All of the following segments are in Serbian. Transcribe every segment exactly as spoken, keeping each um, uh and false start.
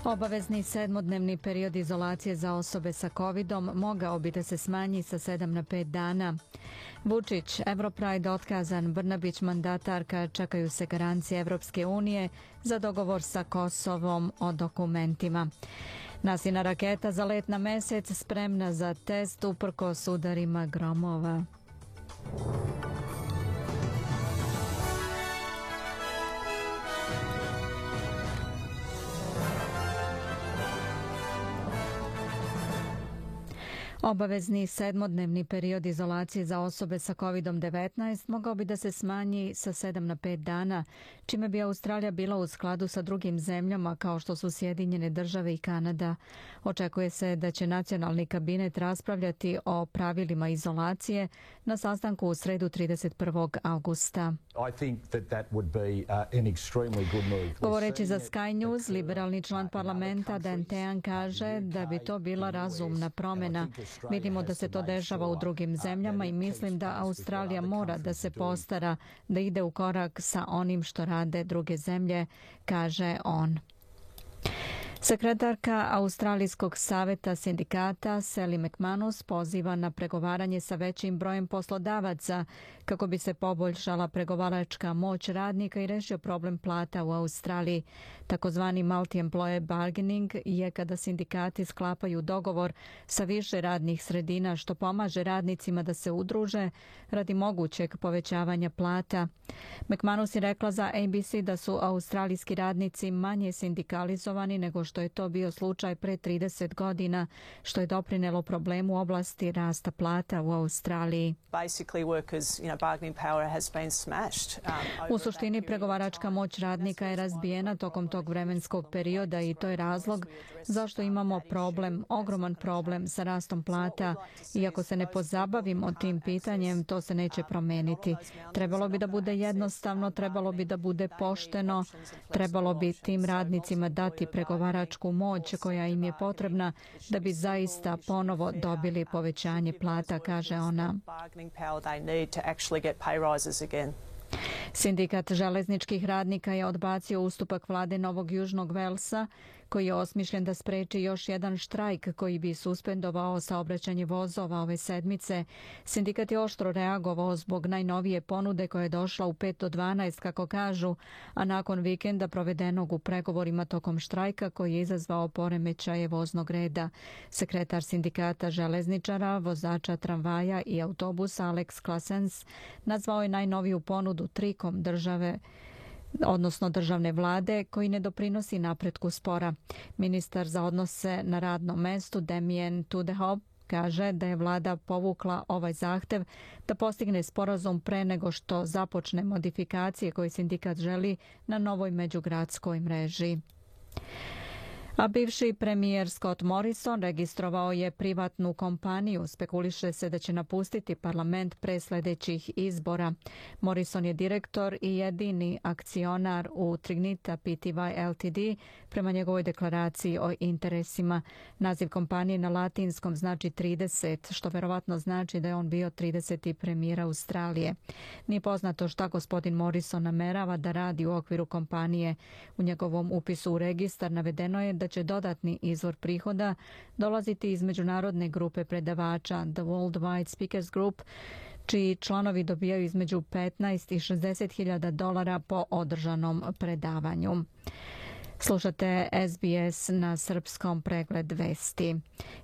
Obavezni sedmodnevni period izolacije za osobe sa kovidom mogao bi da se smanji sa sedam na pet dana. Vučić, Europride otkazan, Brnabić mandatarka, čekaju se garancije Evropske unije za dogovor sa Kosovom o dokumentima. Nasina raketa za let na mesec spremna za test uprkos udarima gromova. Obavezni sedmodnevni period izolacije za osobe sa kovidom devetnaest mogao bi da se smanji sa sedam na pet dana, čime bi Australija bila u skladu sa drugim zemljama kao što su Sjedinjene države i Kanada. Očekuje se da će nacionalni kabinet raspravljati o pravilima izolacije na sastanku u sredu trideset prvog avgusta. Govoreći za Sky News, liberalni član parlamenta Dan Tehan kaže da bi to bila razumna promjena. Vidimo da se to dešava u drugim zemljama i mislim da Australija mora da se postara da ide u korak sa onim što rade druge zemlje, kaže on. Sekretarka Australijskog saveta sindikata Sally McManus poziva na pregovaranje sa većim brojem poslodavaca kako bi se poboljšala pregovaračka moć radnika i rešio problem plata u Australiji. Takozvani multi-employer bargaining je kada sindikati sklapaju dogovor sa više radnih sredina što pomaže radnicima da se udruže radi mogućeg povećavanja plata. McManus je rekla za A B C da su australijski radnici manje sindikalizovani nego što što je to bio slučaj pre trideset godina, što je doprinelo problemu u oblasti rasta plata u Australiji. U suštini, pregovaračka moć radnika je razbijena tokom tog vremenskog perioda i to je razlog zašto imamo problem, ogroman problem sa rastom plata. Iako se ne pozabavimo tim pitanjem, to se neće promeniti. Trebalo bi da bude jednostavno, trebalo bi da bude pošteno, trebalo bi tim radnicima dati pregovaračku moć koja im je potrebna da bi zaista ponovo dobili povećanje plata, kaže ona. Sindikat železničkih radnika je odbacio ustupak vlade Novog Južnog Velsa koji je osmišljen da spreči još jedan štrajk koji bi suspendovao saobraćanje vozova ove sedmice. Sindikat je oštro reagovao zbog najnovije ponude koja je došla u pet do dvanaest, kako kažu, a nakon vikenda provedenog u pregovorima tokom štrajka koji je izazvao poremećaje voznog reda. Sekretar sindikata železničara, vozača tramvaja i autobusa Alex Klasens nazvao je najnoviju ponudu trikom države odnosno državne vlade, koji ne doprinosi napretku spora. Ministar za odnose na radnom mestu Damien Tudehop kaže da je vlada povukla ovaj zahtev da postigne sporazum pre nego što započne modifikacije koje sindikat želi na novoj međugradskoj mreži. A bivši premijer Scott Morrison registrovao je privatnu kompaniju. Spekuliše se da će napustiti parlament pre sljedećih izbora. Morrison je direktor i jedini akcionar u Trignita P T Y L T D prema njegovoj deklaraciji o interesima. Naziv kompanije na latinskom znači trideset, što verovatno znači da je on bio trideseti premijer Australije. Nije poznato šta gospodin Morrison namerava da radi u okviru kompanije. U njegovom upisu u registar navedeno je da da će dodatni izvor prihoda dolaziti iz međunarodne grupe predavača The Worldwide Speakers Group, čiji članovi dobijaju između petnaest i šezdeset hiljada dolara po održanom predavanju. Slušate S B S na srpskom, pregled vesti.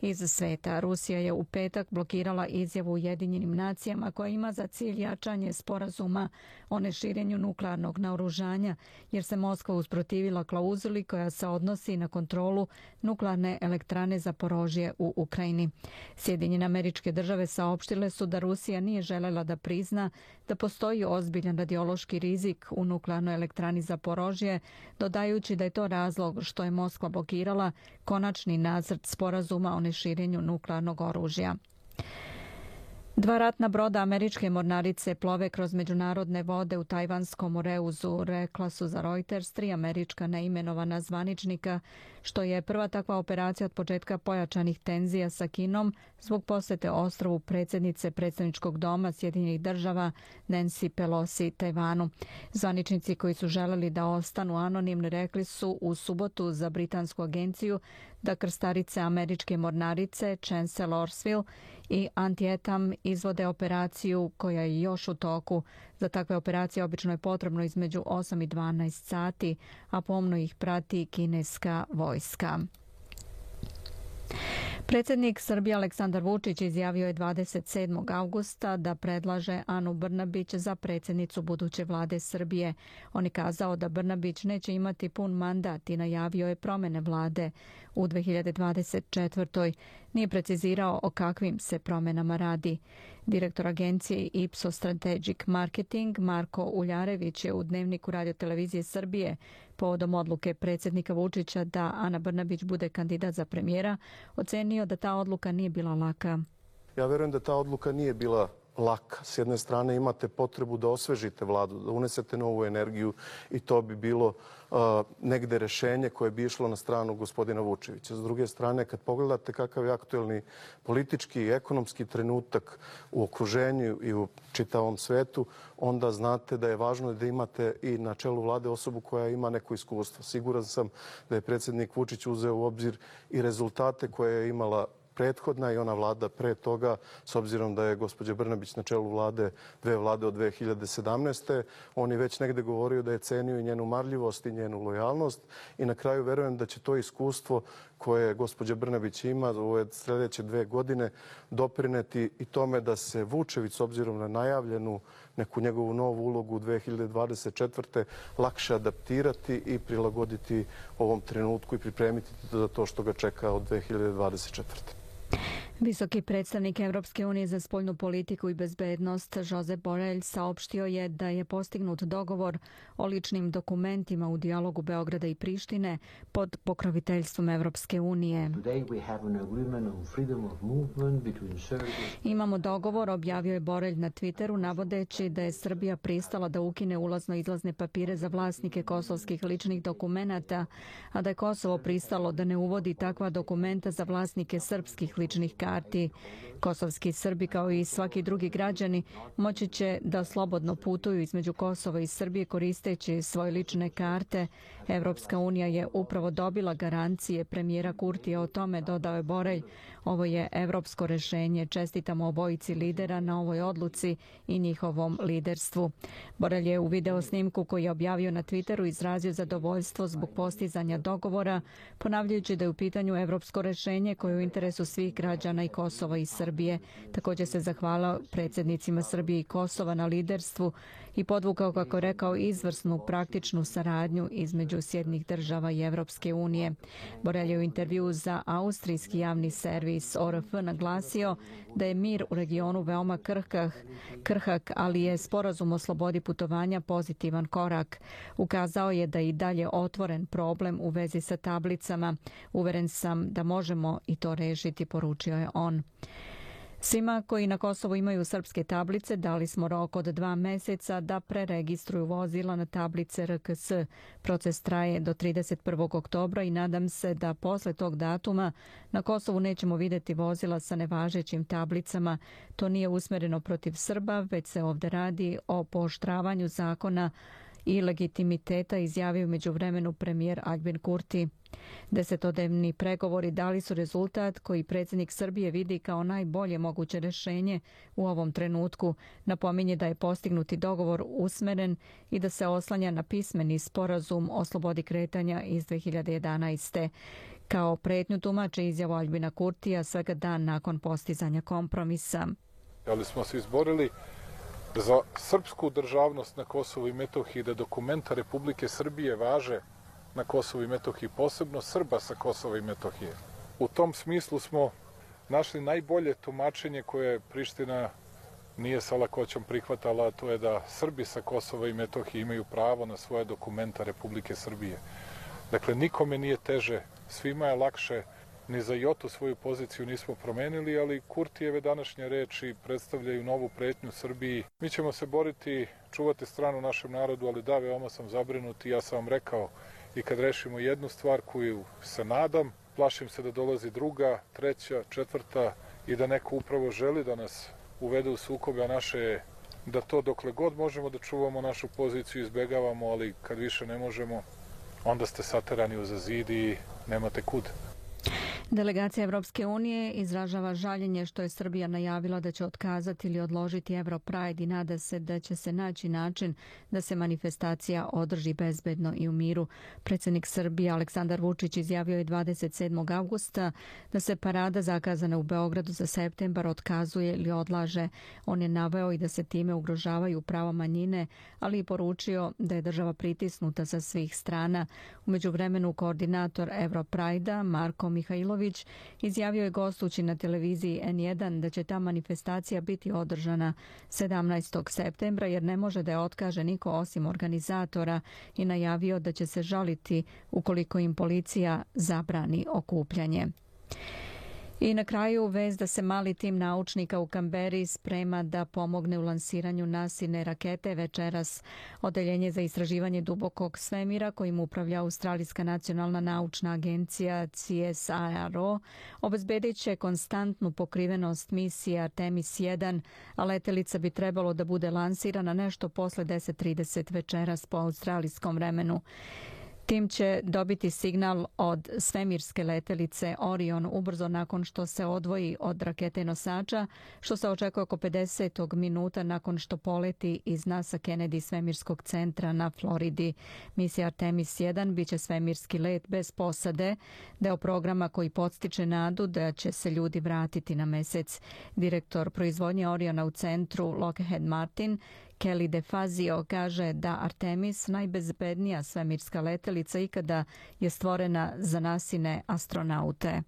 Iz sveta, Rusija je u petak blokirala izjavu Ujedinjenim nacijama koja ima za cilj jačanje sporazuma o neširenju nuklearnog naoružanja, jer se Moskva usprotivila klauzuli koja se odnosi na kontrolu nuklearne elektrane Zaporožje u Ukrajini. Sjedinjene Američke Države saopštile su da Rusija nije želela da prizna da postoji ozbiljan radiološki rizik u nuklearnoj elektrani Zaporožje, dodajući da je to razlog što je Moskva blokirala konačni nacrt sporazuma o neširenju nuklearnog oružja. Dva ratna broda američke mornarice plove kroz međunarodne vode u tajvanskom Moreuzu, rekla su za Reuters tri američka neimenovana zvaničnika, što je prva takva operacija od početka pojačanih tenzija sa Kinom zbog posete ostrvu predsjednice predstavničkog doma Sjedinjenih država Nancy Pelosi Tajvanu. Zvaničnici koji su želeli da ostanu anonimni rekli su u subotu za britansku agenciju da krstarice američke mornarice Chancellorsville i Antietam izvode operaciju koja je još u toku. Za takve operacije obično je potrebno između osam i dvanaest sati, a pomno ih prati kineska vojska. Predsjednik Srbije Aleksandar Vučić izjavio je dvadeset sedmog avgusta da predlaže Anu Brnabić za predsjednicu buduće vlade Srbije. On je kazao da Brnabić neće imati pun mandat i najavio je promjene vlade u dve hiljade dvadeset četvrtoj. Nije precizirao o kakvim se promjenama radi. Direktor agencije Ipsos Strategic Marketing Marko Uljarević je u Dnevniku radiotelevizije Srbije povodom odluke predsjednika Vučića da Ana Brnabić bude kandidat za premijera ocenio da ta odluka nije bila laka. Ja verujem da ta odluka nije bila laka. S jedne strane imate potrebu da osvežite vladu, da unesete novu energiju i to bi bilo uh, negde rešenje koje bi išlo na stranu gospodina Vučevića. S druge strane, kad pogledate kakav je aktuelni politički i ekonomski trenutak u okruženju i u čitavom svetu, onda znate da je važno da imate i na čelu vlade osobu koja ima neko iskustvo. Siguran sam da je predsjednik Vučić uzeo u obzir i rezultate koje je imala prethodna i ona vlada pre toga, s obzirom da je gospođa Brnabić na čelu vlade, dve vlade od dve hiljade sedamnaeste. On je već negde govorio da je cenio i njenu marljivost i njenu lojalnost i na kraju verujem da će to iskustvo koje gospođa Brnabić ima u ove sljedeće dve godine doprineti i tome da se Vučević, s obzirom na najavljenu neku njegovu novu ulogu u dve hiljade dvadeset četvrte lakše adaptirati i prilagoditi ovom trenutku i pripremiti za to što ga čeka od dve hiljade dvadeset četvrte. Visoki predstavnik Evropske unije za spoljnu politiku i bezbednost Josep Borrell saopštio je da je postignut dogovor o ličnim dokumentima u dijalogu Beograda i Prištine pod pokroviteljstvom Evropske unije. Imamo dogovor, objavio je Borrell na Twitteru, navodeći da je Srbija pristala da ukine ulazno-izlazne papire za vlasnike kosovskih ličnih dokumenata, a da je Kosovo pristalo da ne uvodi takva dokumenta za vlasnike srpskih ličnih karti. karti. Kosovski Srbi kao i svaki drugi građani moći će da slobodno putuju između Kosova i Srbije koristeći svoje lične karte. Evropska unija je upravo dobila garancije premijera Kurtija o tome, dodao je Borrell. Ovo je evropsko rešenje. Čestitamo obojici lidera na ovoj odluci i njihovom liderstvu. Borrell je u video snimku koji je objavio na Twitteru izrazio zadovoljstvo zbog postizanja dogovora, ponavljajući da je u pitanju evropsko rešenje koje je u interesu svih građana i Kosova i Srbije. Također se zahvalio predsjednicima Srbije i Kosova na liderstvu i podvukao, kako je rekao, izvrsnu praktičnu saradnju između Sjedinjenih država i Evropske unije. Borrell je u intervjuu za austrijski javni servis O R F naglasio da je mir u regionu veoma krhkah, krhak, ali je sporazum o slobodi putovanja pozitivan korak. Ukazao je da je i dalje otvoren problem u vezi sa tablicama. Uveren sam da možemo i to rešiti, poručio je on. Svima koji na Kosovu imaju srpske tablice dali smo rok od dva meseca da preregistruju vozila na tablice R K S. Proces traje do trideset prvog oktobra i nadam se da posle tog datuma na Kosovu nećemo vidjeti vozila sa nevažećim tablicama. To nije usmjereno protiv Srba, već se ovdje radi o pooštravanju zakona i legitimiteta, izjavio među vremenu premijer Aljbin Kurti. Desetodnevni pregovori dali su rezultat koji predsjednik Srbije vidi kao najbolje moguće rješenje u ovom trenutku. Napominje da je postignuti dogovor usmeren i da se oslanja na pismeni sporazum o slobodi kretanja iz dve hiljade jedanaeste. Kao pretnju tumače izjavu Aljbina Kurtija svega dan nakon postizanja kompromisa. Ali smo se izborili za srpsku državnost na Kosovu i Metohiji, da dokumenta Republike Srbije važe na Kosovu i Metohiji, posebno Srba sa Kosova i Metohije. U tom smislu smo našli najbolje tumačenje koje Priština nije sa lakoćom prihvatala, a to je da Srbi sa Kosova i Metohije imaju pravo na svoje dokumenta Republike Srbije. Dakle, nikome nije teže, svima je lakše, ni za jotu svoju poziciju nismo promenili, ali Kurtijeve današnje reči predstavljaju novu pretnju Srbiji. Mi ćemo se boriti, čuvati stranu našem narodu, ali da, veoma sam zabrinut i ja sam vam rekao i kad rešimo jednu stvar koju se nadam, plašim se da dolazi druga, treća, četvrta i da neko upravo želi da nas uvede u sukobe, a naše je da to dokle god možemo da čuvamo našu poziciju izbegavamo, ali kad više ne možemo, onda ste saterani uza zid i nemate kud. Delegacija Evropske unije izražava žaljenje što je Srbija najavila da će otkazati ili odložiti Europride i nada se da će se naći način da se manifestacija održi bezbedno i u miru. Predsjednik Srbije Aleksandar Vučić izjavio je dvadeset sedmog avgusta da se parada zakazana u Beogradu za septembar otkazuje ili odlaže. On je naveo i da se time ugrožavaju prava manjine, ali i poručio da je država pritisnuta sa svih strana. U međuvremenu koordinator Europride-a Marko Mihajlović izjavio je gostujući na televiziji en jedan da će ta manifestacija biti održana sedamnaestog septembra jer ne može da je otkaže niko osim organizatora i najavio da će se žaliti ukoliko im policija zabrani okupljanje. I na kraju vest da se mali tim naučnika u Kamberi sprema da pomogne u lansiranju nasilne rakete večeras. Odeljenje za istraživanje dubokog svemira kojim upravlja Australijska nacionalna naučna agencija C S I R O obezbedit će konstantnu pokrivenost misije Artemis jedan, a letelica bi trebalo da bude lansirana nešto posle deset trideset večeras po australijskom vremenu. Tim će dobiti signal od svemirske letelice Orion ubrzo nakon što se odvoji od rakete nosača, što se očekuje oko pedeset minuta nakon što poleti iz NASA Kennedy svemirskog centra na Floridi. Misija Artemis jedan biće svemirski let bez posade, deo programa koji podstiče nadu da će se ljudi vratiti na mesec. Direktor proizvodnje Oriona u centru Lockheed Martin Kelly DeFazio kaže da Artemis, najbezbednija svemirska letelica ikada, je stvorena za nasine astronaute.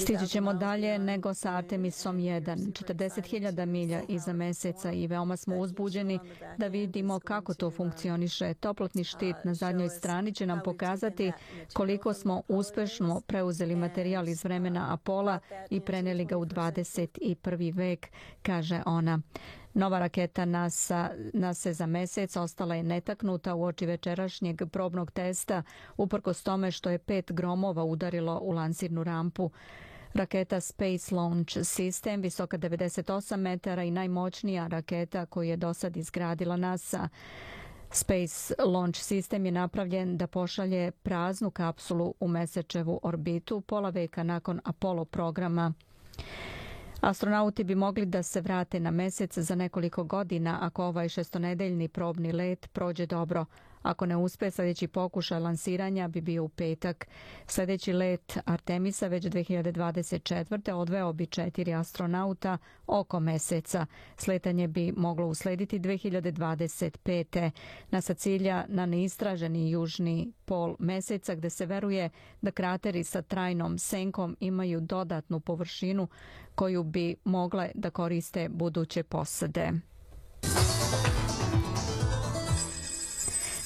Stići ćemo dalje nego sa Artemisom jedan, četrdeset hiljada milja iza meseca i veoma smo uzbuđeni da vidimo kako to funkcioniše. Toplotni štit na zadnjoj strani će nam pokazati koliko smo uspešno preuzeli materijal iz vremena Apola i preneli ga u dvadeset prvi vek, kaže ona. Nova raketa NASA, NASA za mesec ostala je netaknuta uoči večerašnjeg probnog testa, uprkos tome što je pet gromova udarilo u lansirnu rampu. Raketa Space Launch System, visoka devedeset osam metara i najmoćnija raketa koju je do sad izgradila NASA. Space Launch System je napravljen da pošalje praznu kapsulu u mesečevu orbitu pola veka nakon Apollo programa. Astronauti bi mogli da se vrate na mesec za nekoliko godina ako ovaj šestonedeljni probni let prođe dobro. Ako ne uspe, sljedeći pokušaj lansiranja bi bio u petak. Sljedeći let Artemisa već dve hiljade dvadeset četvrte odveo bi četiri astronauta oko meseca. Sletanje bi moglo uslediti dve hiljade dvadeset pete. NASA cilja na neistraženi južni pol meseca gde se veruje da krateri sa trajnom senkom imaju dodatnu površinu koju bi mogle da koriste buduće posade.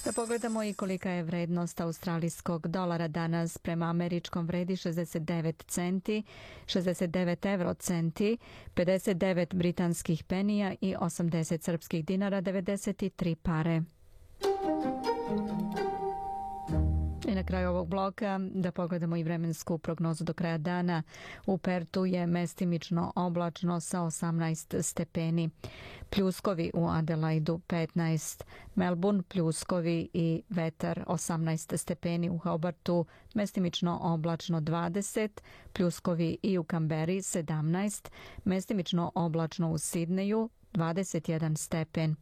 Da pogledamo i kolika je vrednost australijskog dolara danas. Prema američkom vredi šezdeset devet centi, šezdeset devet euro centi, pedeset devet britanskih penija i osamdeset srpskih dinara, devedeset tri pare. I na kraju ovog bloka da pogledamo i vremensku prognozu do kraja dana. U Pertu je mestimično oblačno sa osamnaest stepeni. Pljuskovi u Adelaidu petnaest. Melbourne pljuskovi i vetar osamnaest stepeni. U Hobartu mestimično oblačno dvadeset. Pljuskovi i u Kamberi sedamnaest. Mestimično oblačno u Sidneju dvadeset jedan stepen.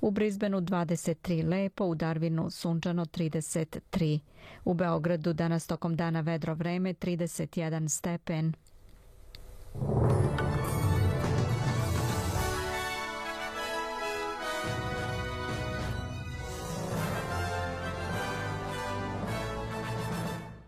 U Brisbaneu dvadeset tri lepo, u Darwinu sunčano trideset tri. U Beogradu danas tokom dana vedro vreme trideset jedan stepen.